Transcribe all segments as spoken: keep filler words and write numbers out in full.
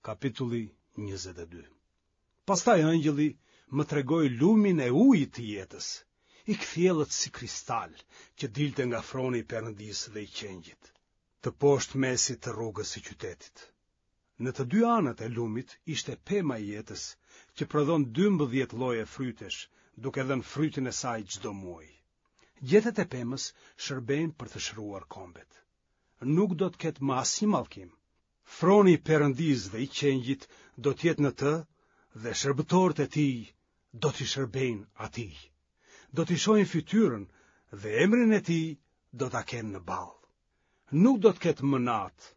Kapitulli njëzet e dy. Pastaj engjëlli më tregoi lumin e ujit të jetës, i kthjellët si kristal, që dilte nga froni i Perëndisë dhe i Qengjit, të poshtë mesit të rrugës së qytetit. Në të dy anët e lumit ishte pema e jetës, që prodhon dymbëdhjetë lloje frytesh, duke dhënë frytin e saj çdo muaj. Gjethet e pemës shërbejnë për të shëruar kombet. Nuk do të ketë më asnjë mallkim. Froni i Perëndisë dhe i Qengjit do të jetë në të dhe shërbëtorët e tij do t'i shërbejnë atij. Do t'i shohin fytyrën dhe emrin e tij do ta kenë në ballë. Nuk do të ketë më natë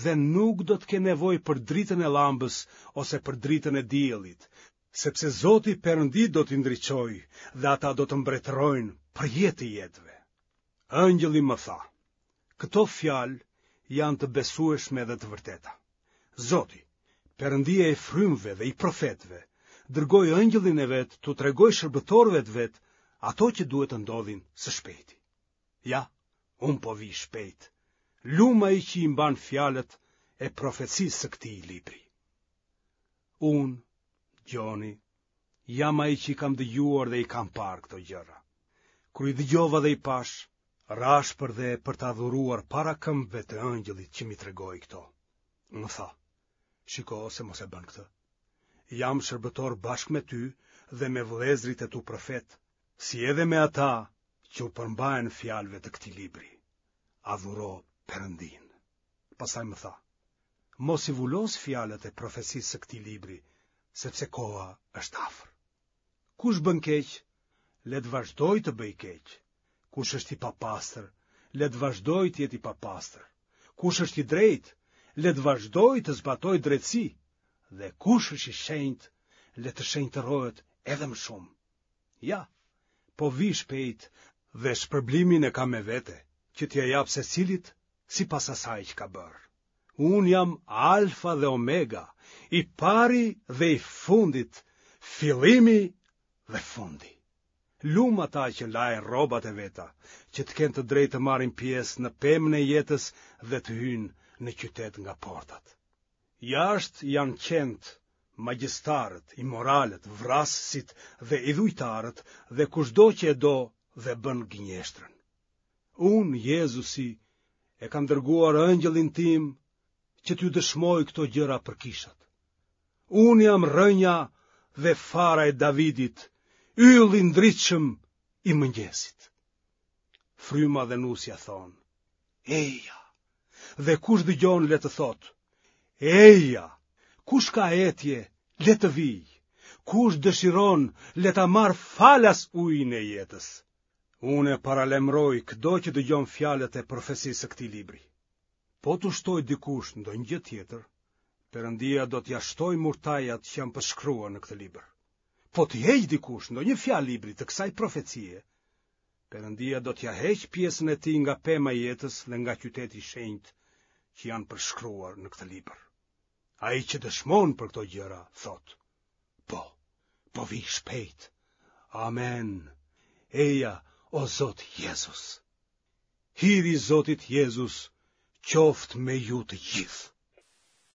dhe nuk do të kenë nevojë për dritën e llambës ose për dritën e diellit, sepse Zoti Perëndi do t'i ndriçojë dhe ata do të mbretërojnë për jetë të jetëve. Engjëlli më tha, këto fjalë janë të besueshme dhe të vërteta. Zoti, Perëndia i frymëve dhe i profetëve, dërgoi engjëllin e vet t'u tregojë shërbëtorëve të vet ato që duhet të ndodhin së shpejti. Ja, unë po vij shpejt. Lum ai që i mban fjalët e profecisë së këtij libri. Unë, Gjoni, jam ai që i kam dëgjuar dhe i kam parë këto gjëra. Kur i dëgjova dhe i pashë, rashë përdhe për të adhuruar para këmbëve të engjëllit që m'i tregoi këto. Më tha, shiko se mos e bën këtë. Jam shërbëtor bashkë me ty dhe me vëllezërit e tu profetë, si edhe me ata që u përmbahen fjalëve të këtij libri. Adhuro Perëndinë. Pastaj më tha, mos i vulos fjalët e profecisë së këtij libri, sepse koha është afër. Kush bën keq, le të vazhdojë të bëjë keq. Kush është i papastër, le të vazhdojë të jetë i papastër. Kush është i drejtë, le të vazhdojë të zbatojë drejtësi. Dhe kush është i shenjtë, le të shenjtërohet edhe më shumë. Ja, po vij shpejt dhe shpërblimin e kam me vete, që t'ia jap secilit sipas asaj që ka bërë. Unë jam Alfa dhe Omega, i pari dhe i fundit, fillimi dhe fundi. Lum ata që lajnë rrobat e veta, që të kenë të drejtë të marrin pjesë në pemën e jetës dhe të hyjnë në qytet nga portat. Jashtë janë qentë, magjistarët, imoralët, vrasësit dhe idhujtarët dhe kushdo që e do dhe bën gënjeshtrën. Unë, Jezusi, e kam dërguar engjëllin tim që t'ju dëshmoj këto gjëra për kishat. Unë jam rrënja dhe fara e Davidit, ylli i ndritshëm i mëngjesit. Fryma dhe nusja thonë, eja, dhe kush dëgjon le të thotë, eja, kush ka etje, le të vijë, kush dëshiron, le ta marrë falas ujin e jetës. Unë e paralajmëroj këdo që dëgjon fjalët e profecisë së këtij libri. Po t'u shtojë dikush ndonjë gjë tjetër, Perëndia do t'ia shtojë murtajat që janë përshkruar në këtë libër. Po t'i heqë dikush ndonjë fjalë librit të kësaj profecie, Perëndia do t'ia heqë pjesën e tij nga pema e jetës dhe nga qyteti i shenjtë që janë përshkruar në këtë libër. Ai që dëshmon për këto gjëra, thotë, po, po vij shpejt. Amen. Eja, o Zot Jezus. Hiri i Zotit Jezus qoftë me ju të gjithë.